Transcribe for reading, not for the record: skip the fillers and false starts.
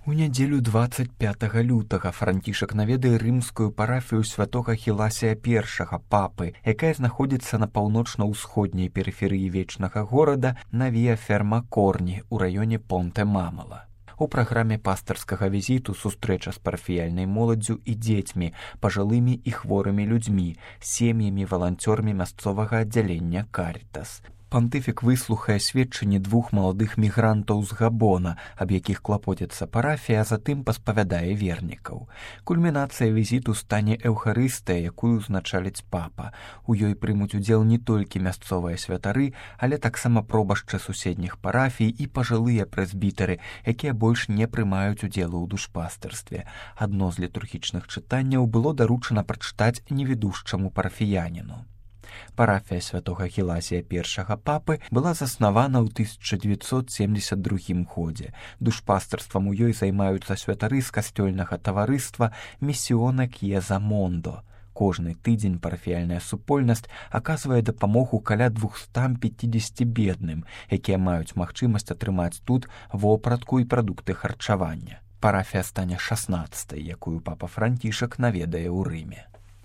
У нядзелю 25 лютага Францішак наведае рымскую парафію святога Хіласія I, папы, якая знаходзіцца на паўночна-ўсходняй перыферыі вечнага горада на Віа Фермакорні ў раёне Понте-Мамала. У праграме пастырскага візіту сустрэча з парафіяльнай моладдзю і дзецьмі, пажылымі і хворымі людзьмі, сем'ямі валанцёрамі мясцовага аддзялення Карітас. Пантыфік выслухае сведчанні 2 маладых мігрантаў з Габона, аб якіх клапоціцца парафія, а затым паспавядае вернікаў. Кульмінацыя візіту стане эўхарыстыя, якую узначаліць папа. У ёй прымуць удзел не толькі мясцовыя святары, але таксама пробашчы суседніх парафій і пажылыя прэзбітары, якія больш не прымаюць удзелу ў душпастырстве. Адно з літургічных чытанняў было даручана прачытаць невідушчаму парафіяніну. Парафія святога Хіласія I папы была заснавана ў 1972 годзе. Душпастырствам у ёй займаюцца святары з касцёльнага таварыства Місіона К'еза Мондо. Кожны тыдзень парафіяльная супольнасць аказвае дапамогу каля 250 бедным, якія маюць магчымасць атрымаць тут вопратку і прадукты харчавання. Парафія стане 16-й, якую папа Францішак наведае ў Рыме.